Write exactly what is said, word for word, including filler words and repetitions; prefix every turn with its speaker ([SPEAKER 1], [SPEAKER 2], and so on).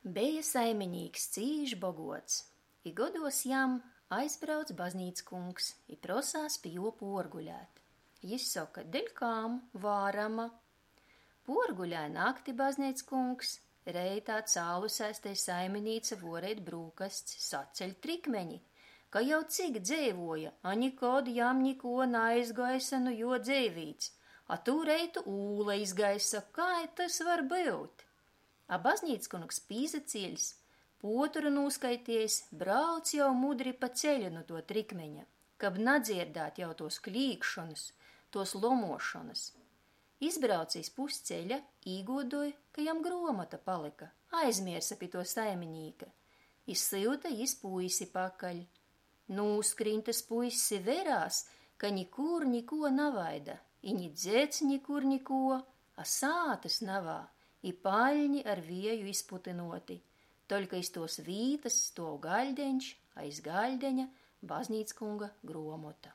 [SPEAKER 1] Beja saiminīks cīš boguots. I goduos jam, aizbrauc baznīckungs i prosās pi juo puorgulēt. Jis soka: "Deļkam? Varama!" Puorgulēja nakti bazneickungs, reitā cālusēs tei saiminīca vuoreit brūkasts, saceļ trikmeni, ka jau cik dzeivuoja, a nikod jam nikuo naizgaisa nu juo dzeivīts, a tū reitu ūla izgaisa, kai tys var byut? A baznīckungs pīsacieļs, puotoru nūskaitiejs, brauc jau mudri pa ceļu nu tuo trikmeņa, kab nadzierdāt jau tuos klīgšonys, tuos lomuošonys. Izbrauce iz pusceļa, īguodoj, ka jam gruomota palyka, aizmiersa pi tuo saiminīka. I syuta jis puisi pakaļ. Nūskrīn tys puiss i verās, ka nikur nikuo navaida, i ni dzeds nikur nikuo, a sātys navā, i paļni ar vieju izputynuoti. Toļka iz tuos vītys stuov gaļdeņš, a iz gaļdeņa baznīckunga gruomota.